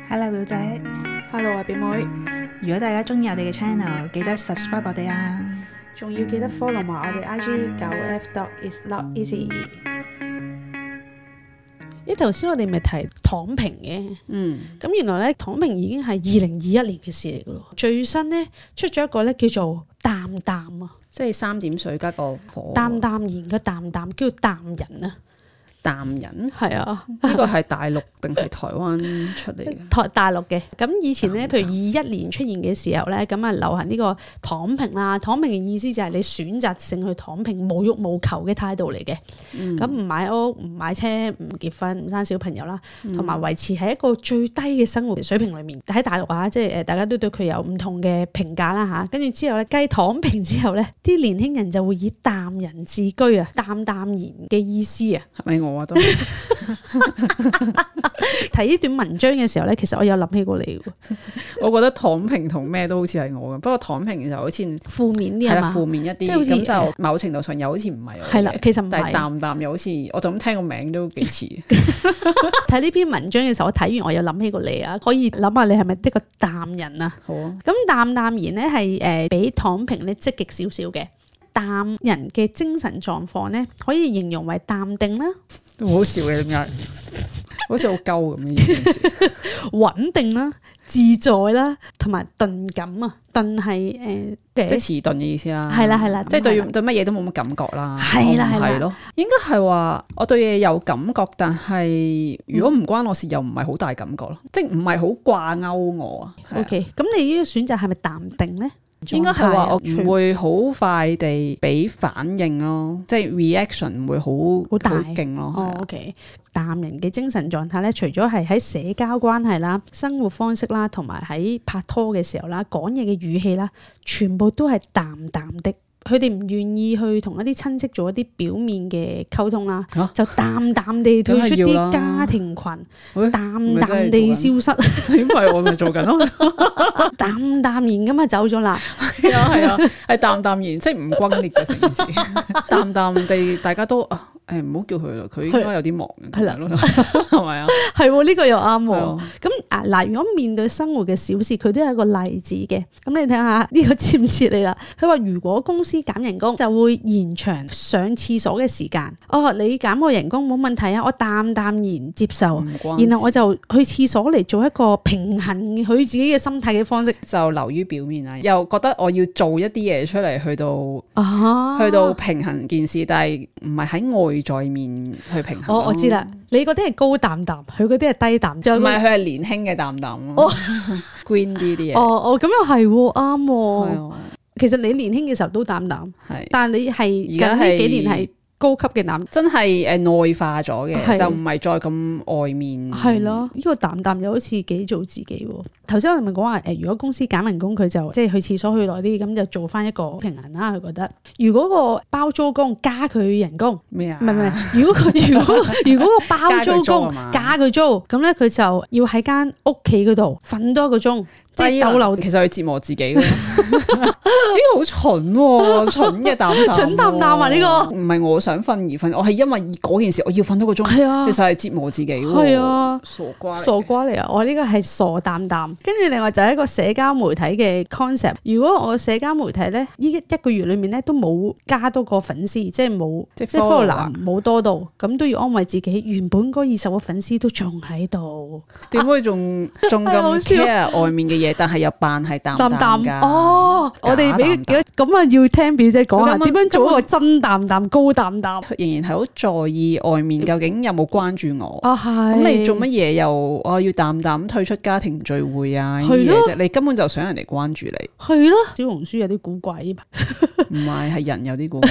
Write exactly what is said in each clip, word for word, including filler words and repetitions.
Hello 表姐 Hello 啊，表妹，如果大家中意我哋嘅 channel，記得 subscribe 我哋啊。仲要記得 follow 埋我哋 I G 九 F dot is not easy。咦，頭先我哋咪提躺平嘅，嗯，咁原來咧躺平已經係二零二一年嘅事嚟噶咯。最新咧出咗一個咧叫做淡淡啊，即係三點水加個火，淡淡然嘅淡淡，叫淡人啊。淡人係啊，呢個係大陸定係台灣出嚟嘅？台大陸嘅。咁以前咧，譬如二一年出現嘅時候咧，咁啊流行呢個躺平啦。躺平嘅意思就係你選擇性去躺平，無欲無求嘅態度嚟嘅。咁唔、嗯、買屋、唔買車、唔結婚、唔生小朋友啦，同埋維持喺一個最低嘅生活水平裏面。喺大陸啊，即係誒大家都對佢有唔同嘅評價啦嚇。跟住之後咧，繼躺平之後咧，啲年輕人就會以淡人自居啊，淡淡然嘅意思啊。係咪我啊都？睇呢段文章嘅時候咧，其實我有諗起過你喎。我覺得躺平同咩都好似係我咁，不過躺平就好似負面啲係嘛，負面一啲，即係好似咁就某程度上又好似唔係我嘅。係啦，其實唔係。但係淡淡又好似，我就咁聽個名都幾似。睇呢篇文章嘅時候，我睇完我又諗起過你啊，可以諗下你係咪一個淡人啊？好啊。咁淡淡然咧係誒比躺平咧積極少少嘅。淡人嘅精神狀況咧，可以形容為淡定啦，都好笑嘅，點解？好似好鳩咁呢件事。穩定啦，自在啦，同埋頓感啊，頓係誒，即係遲鈍嘅意思啦。係啦係啦，即係對對乜嘢都冇乜感覺啦。係啦係啦，係咯，應該係話我對嘢有感覺，但係如果唔關我事，又唔係好大感覺咯，即係唔係好掛鈎我啊。OK，咁你呢個選擇係咪淡定咧？應該係話我唔會好快地俾反應咯，即係 reaction 唔會好好大勁咯。哦 OK， 淡人嘅精神狀態咧，除咗係喺社交關係啦、生活方式啦，同埋喺拍拖嘅時候啦、講嘢嘅語氣啦，全部都係淡淡的。佢哋唔願意去同一啲親戚做一啲表面嘅溝通啦，啊、就淡淡地退出啲家庭群，淡淡地消失。因為我咪做緊咯，淡淡然咁啊走咗啦。係啊係啊，係淡淡然，即係唔轟烈嘅成件事，淡淡地大家都啊。誒唔好叫佢啦，佢應該有啲忙嘅，係啦，係咪啊？係喎，呢個又啱喎。咁啊嗱，如果面對生活嘅小事，佢都有一個例子嘅。咁你睇下呢個切唔切你啦？佢話如果公司減人工，就會延長上廁所嘅時間。哦，你減我人工冇問題啊，我淡淡然接受。然後我就去廁所嚟做一個平衡佢自己嘅心態嘅方式，就流於表面啦。又覺得我要做一啲嘢出嚟，去到啊，去到平衡件事，但係唔係喺外在面去平衡。哦，我知啦，你嗰啲係高淡淡，佢嗰啲係低淡，唔係佢係年輕嘅淡淡咯。哦、green 啲啲嘢。哦哦，咁又係喎，啱喎。係啊，其實你年輕嘅時候都淡淡，係，但係你係近呢幾年係高級嘅淡，真係誒內化咗嘅，係就唔係再咁外面。係咯，呢個淡淡又好似幾做自己喎。頭先我哋咪講話誒，如果公司減人工，佢就即係去廁所去耐啲，咁就做翻一個平衡啦。佢覺得，如果個包租公加佢人工咩啊？唔係唔係，如果佢如果如果個包租公加佢租，咁咧佢就要喺間屋企嗰度瞓多一個鐘。即係逗留，其實佢折磨自己嘅，呢個好蠢喎，蠢嘅淡淡，蠢淡淡啊！呢個唔係我想瞓而瞓，我係因為嗰件事我要瞓多個鐘，係啊，其實係折磨自己喎，係啊，傻瓜，傻瓜嚟啊！我呢個係傻淡淡，跟住另外就係一個社交媒體嘅 concept。如果我社交媒體咧，呢一個月裏面咧都冇加多個粉絲，即係冇即係 follow 冇多到，咁都要安慰自己，原本嗰二十個粉絲都仲喺度，點會仲仲咁 care 外面嘅嘢？但係又扮係淡淡㗎哦！我哋俾咁啊，要聽表姐講下點樣做一個真淡淡、高淡淡。仍然係好在意外面究竟有冇關注我啊？係咁你做乜嘢又我要淡淡退出家庭聚會啊？呢啲嘢啫，你根本就想人哋關注你。係咯，小紅書有啲古怪，唔係係人有啲古怪。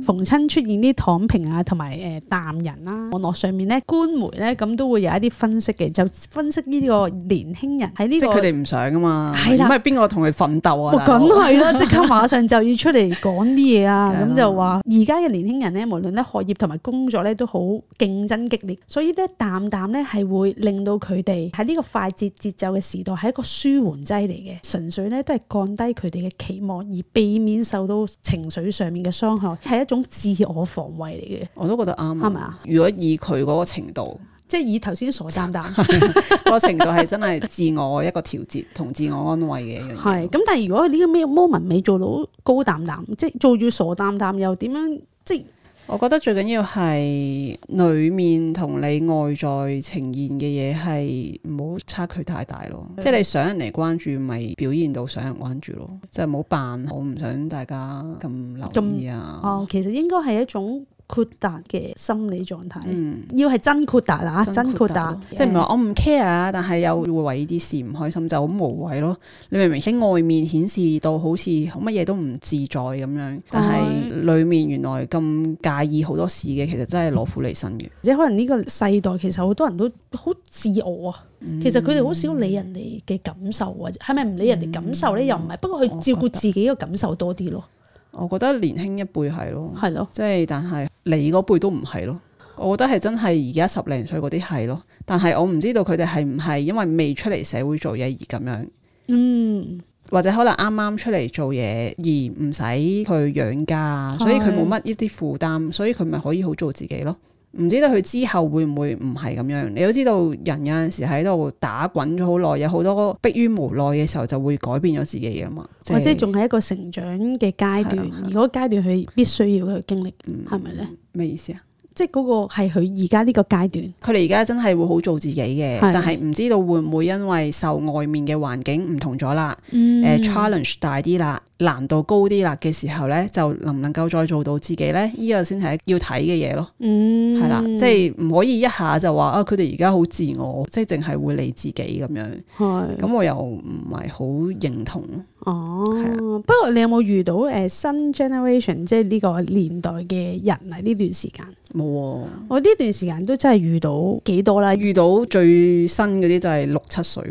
逢親出現啲躺平啊，同埋誒淡人啦，網絡上面咧官媒咧咁都會有一啲分析嘅，就分析呢個年輕人喺呢、這個，即係佢哋唔想噶嘛，係啦，咁係邊個同佢奮鬥啊？梗係啦，即刻馬上就要出嚟講啲嘢啊！咁就話而家嘅年輕人咧，無論咧學業同埋工作咧都好競爭激烈，所以咧淡淡咧係會令到佢哋喺呢個快節節奏嘅時代係一個舒緩劑嚟嘅，純粹咧都係降低佢哋嘅期望，而避免受到情緒上面嘅傷害，係一種自我防衛嚟嘅。我都覺得啱，係咪啊？如果以佢嗰個程度，即係以頭先傻淡淡嗰個程度係真係自我一個調節同自我安慰嘅一樣嘢。係咁，但係如果呢個咩 moment 未做到高淡淡，即係做住傻淡淡，又點樣？即係我覺得最緊要係裡面同你外在呈現嘅嘢係唔好差距太大咯。即係你想人嚟關注，咪表現到想人關注咯。即係唔好扮我唔想大家咁留意啊。哦，其實應該係一種豁達嘅心理狀態，嗯、要係真豁達啦，真豁達，即係唔係話我唔 care 啊，但係又會為呢啲事唔開心，就好無謂咯。你明明喺外面顯示到好似乜嘢都唔自在咁樣，但係裡面原來咁介意好多事嘅，其實真係攞苦嚟辛嘅。即係可能呢個世代其實好多人都好自我啊，嗯、其實佢哋好少理人哋嘅感受，或者係咪唔理人哋感受咧？嗯、又唔係，不過佢照顧自己嘅感受多啲咯。我覺得年輕一輩係咯，係咯，即係但係你嗰輩都唔係咯。我覺得係真係而家十零歲嗰啲係咯，但係我唔知道佢哋係唔係因為未出嚟社會做嘢而咁樣，嗯，或者可能啱啱出嚟做嘢而唔使去養家，所以佢冇乜一啲負擔，所以佢咪可以好做自己咯。唔知道佢之後會唔會唔係咁樣？你都知道人有陣時喺度打滾咗好耐，有好多迫於無奈嘅時候就會改變咗自己嘅嘛。或者仲係一個成長嘅階段，而嗰個階段佢必須要去經歷，係咪咧？咩意思啊？即係嗰個係佢而家呢個階段，佢哋而家真係會好做自己嘅，但係唔知道會唔會因為受外面嘅環境唔同咗啦，誒、嗯呃、challenge 大啲啦，難度高啲啦嘅時候咧，就能唔能夠再做到自己咧？呢、這個先係要睇嘅嘢咯，係、嗯、啦，即係唔可以一下就話啊，佢哋而家好自我，即係淨係會理自己咁樣，咁是我又唔係好認同。哦，不過你有冇遇到誒、呃、新 generation 即係呢個年代嘅人啊？呢段時間冇、哦，我呢段時間都真係遇到幾多啦。遇到最新嗰啲就係六七歲，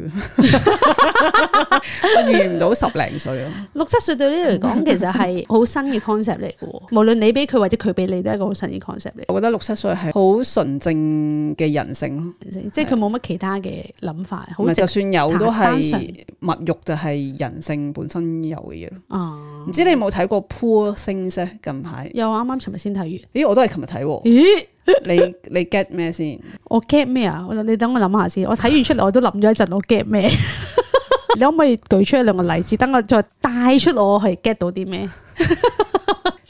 我遇唔到十零歲咯。六七歲對你嚟講，其實係好新嘅 concept 嚟嘅。無論你俾佢或者佢俾你，都係一個好新嘅 concept 嚟。我覺得六七歲係好純正嘅人性咯，即係佢冇乜其他嘅諗法。唔係就算有都係物欲就係人性本身有嘅嘢咯。哦，唔知你有冇睇過 Poor Things 咧？近排有，啱啱尋日先睇完。咦，我都係尋日睇喎。咦，你你 get 咩先？我 get 咩啊？你等我諗下先。我睇完出嚟我都諗咗一陣，我 get 咩？你可唔可以舉出一兩個例子，等我再帶出我係 get 到啲咩？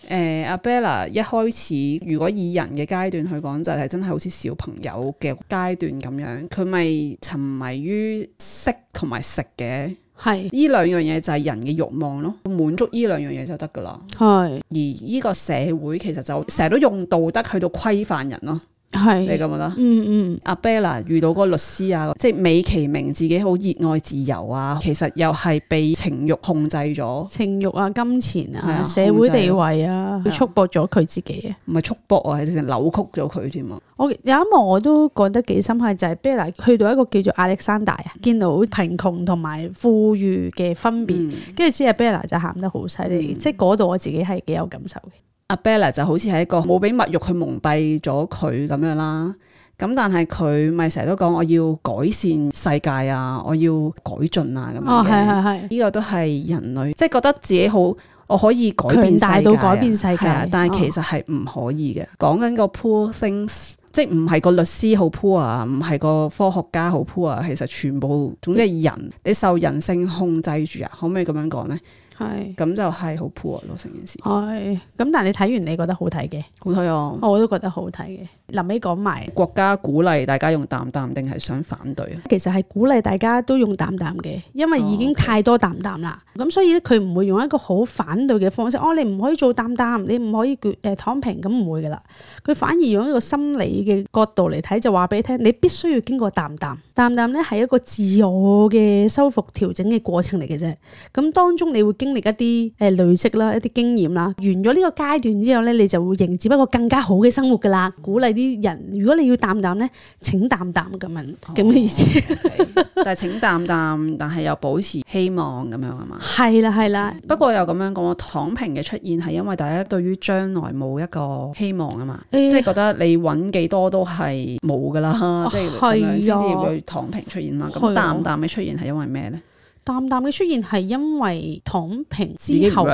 誒，阿 Bella 一開始如果以人嘅階段去講，就係、是、真係好似小朋友嘅階段咁樣，佢咪沉迷於色同埋食嘅。係呢兩樣嘢就係人嘅慾望咯，滿足呢兩樣嘢就得噶啦。係而呢個社會其實就成日都用道德去到規範人咯。係你覺唔覺得？嗯嗯。阿 Bella 遇到嗰個律師啊，即係美其名自己好熱愛自由啊，其實又係被情慾控制咗。情慾啊，金錢啊，啊社會地位啊，佢束縛咗佢自己啊。唔係束縛啊，係直情扭曲咗佢添啊。我有一幕我都覺得幾深刻，就係 Bella 去到一個叫做亞歷山大啊，見到貧窮同埋富裕嘅分別，跟住之後 Bella 就喊得好犀利，嗯、即係嗰度我自己係幾有感受嘅。阿 Bella 就好似係一個冇俾物慾去蒙蔽咗佢咁樣啦，咁但係佢咪成日都講我要改善世界啊，我要改進啊咁樣嘅。哦，係係係，呢個都係人類，即係覺得自己好，我可以改變世界，強大到改變世界，但係其實係唔可以嘅。講緊個 poor things，即係唔係個律師好 poor 啊，唔係個科學家好 poor 啊，其實全部總之係人，你受人性控制住啊，可唔可以咁樣講咧？係咁就係好 poor 咯，成件事。係咁，但係你睇完你覺得好睇嘅？好睇啊！我都覺得好睇嘅。臨尾講埋國家鼓勵大家用淡淡定係想反對啊？其實係鼓勵大家都用淡淡嘅，因為已經太多淡淡啦。咁、哦 okay. 所以咧，佢唔會用一個好反對嘅方式。哦，你唔可以做淡淡，你唔可以誒躺平，咁唔會噶啦。佢反而用一個心理嘅角度嚟睇，就話俾你聽，你必須要經過淡淡淡淡咧，係一個自我嘅修復調整嘅過程嚟嘅啫。咁當中你會經歷一啲誒累積啦，一啲經驗啦，完咗呢個階段之後咧，你就會迎接一個更加好嘅生活噶啦。鼓勵啲人，如果你要淡淡咧，請淡淡咁樣咁嘅意思。Okay. 但係請淡淡，但係又保持希望咁樣啊嘛。係啦係啦，不過又咁樣講，躺平嘅出現係因為大家對於將來冇一個希望啊嘛，欸、即係覺得你揾幾多都係冇噶啦，哦、即係咁樣先至會躺平出現嘛。咁淡淡嘅出現係因為咩咧？淡淡嘅出現係因為躺平之後，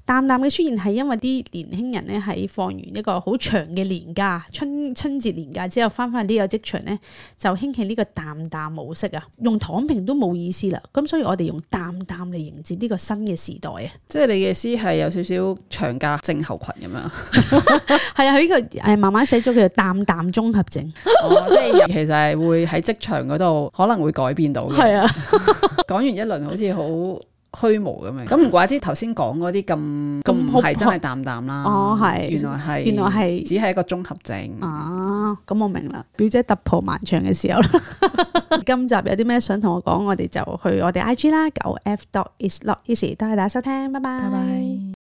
淡淡嘅出現係因為啲年輕人咧喺放完一個好長嘅年假，春春節年假之後翻返呢個職場咧，就興起呢個淡淡模式啊，用躺平都冇意思啦，咁所以我哋用淡淡嚟迎接呢個新嘅時代啊。即係你嘅意思係有少少長假症候群咁樣，係啊，佢呢個誒慢慢寫咗叫做淡淡綜合症。哦，即係其實係會喺職場嗰度可能會改變到嘅。係啊。講完一輪好似好虛無咁樣，咁唔怪之頭先講嗰啲咁咁唔係真係淡淡啦。哦，係，原來係原來係只係一個綜合症。啊，咁我明啦，表姐突破萬丈嘅時候啦。今集有啲咩想同我講，我哋就去我哋 I G 啦，九 F dot is not easy，多謝大家收聽，拜拜。拜拜。